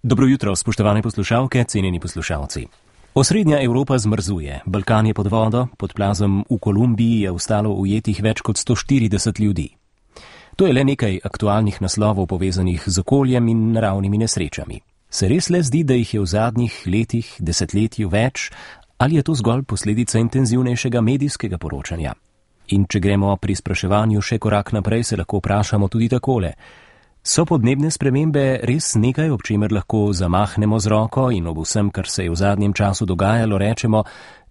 Dobro jutro, spoštovane poslušalke, cenjeni poslušalci. Osrednja Evropa zmrzuje, Balkan je pod vodo, pod plazom v Kolumbiji je ostalo ujetih več kot 140 ljudi. To je le nekaj aktualnih naslovov povezanih z okoljem in naravnimi nesrečami. Se res le zdi, da jih je v zadnjih letih, desetletju več, ali je to zgolj posledica intenzivnejšega medijskega poročanja? In če gremo pri spraševanju še korak naprej, se lahko vprašamo tudi takole. So podnebne spremembe res nekaj, ob čemer lahko zamahnemo z roko in ob vsem, kar se je v zadnjem času dogajalo, rečemo,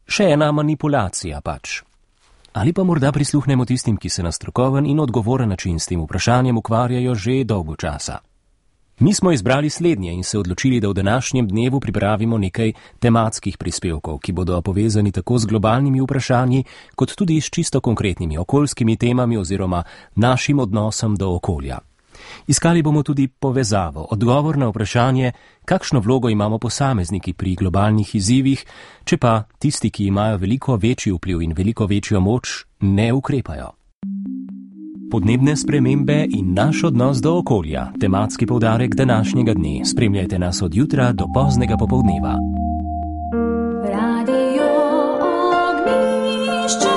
še ena manipulacija pač? Ali pa morda prisluhnemo tistim, ki se na strokoven in odgovoren način s tem vprašanjem ukvarjajo že dolgo časa? Mi smo izbrali slednje in se odločili, da v današnjem dnevu pripravimo nekaj tematskih prispevkov, ki bodo povezani tako z globalnimi vprašanji, kot tudi s čisto konkretnimi okoljskimi temami oziroma našim odnosom do okolja. Iskali bomo tudi povezavo, odgovor na vprašanje, kakšno vlogo imamo posamezniki pri globalnih izzivih, če pa tisti, ki imajo veliko večji vpliv in veliko večjo moč, ne ukrepajo. Podnebne spremembe in naš odnos do okolja, tematski poudarek današnjega dne. Spremljajte nas od jutra do poznega popoldneva. Radio Ognjišče.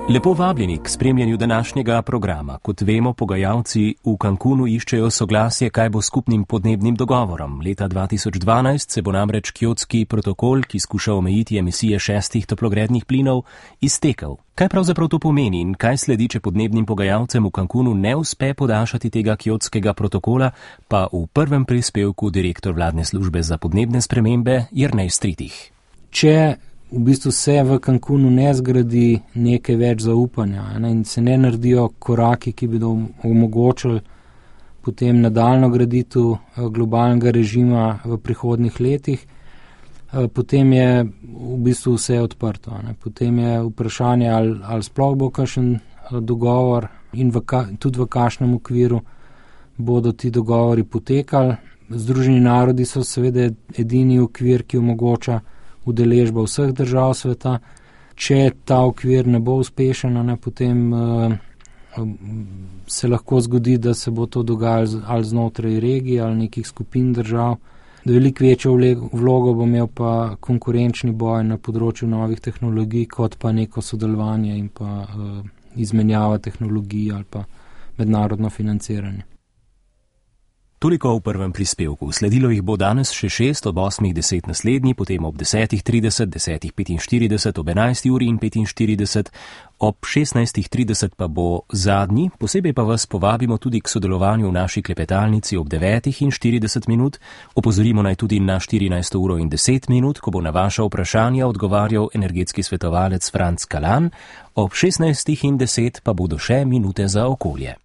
Lepo vabljeni k spremljanju današnjega programa. Kot vemo, pogajalci v Cancunu iščejo soglasje, kaj bo skupnim podnebnim dogovorom. Leta 2012 se bo namreč Kjotski protokol, ki skuša omejiti emisije 6 toplogrednih plinov, iztekel. Kaj pravzaprav to pomeni in kaj sledi, če podnebnim pogajalcem v Cancunu ne uspe podaljšati tega Kjotskega protokola, pa v prvem prispevku direktor vladne službe za podnebne spremembe Jernej Stritih. Če v bistvu se v Cancunu ne zgradi nekaj več zaupanja in se ne naredijo koraki, ki bi omogočili potem nadaljno graditev globalnega režima v prihodnih letih, potem je v bistvu vse odprto. Potem je vprašanje, ali sploh bo kakšen dogovor in tudi v kakšnem okviru bodo ti dogovori potekali. Združeni narodi so seveda edini okvir, ki omogoča udeležba vseh držav sveta. Če ta okvir ne bo uspešen, potem se lahko zgodi, da se bo to dogajalo ali znotraj regij ali nekih skupin držav. Veliko večjo vlogo bo imel pa konkurenčni boj na področju novih tehnologij, kot pa neko sodelovanje in pa izmenjava tehnologij ali pa mednarodno financiranje. Toliko v prvem prispevku. Sledilo jih bo danes še 6, ob 8:10 naslednji, potem ob 10:30, 10:45, ob 11:45, ob 16:30 pa bo zadnji. Posebej pa vas povabimo tudi k sodelovanju v naši klepetalnici ob 9:40. Opozorimo naj tudi na 14:10, ko bo na vaša vprašanja odgovarjal energetski svetovalec Franc Kalan, ob 16:10 pa bodo še minute za okolje.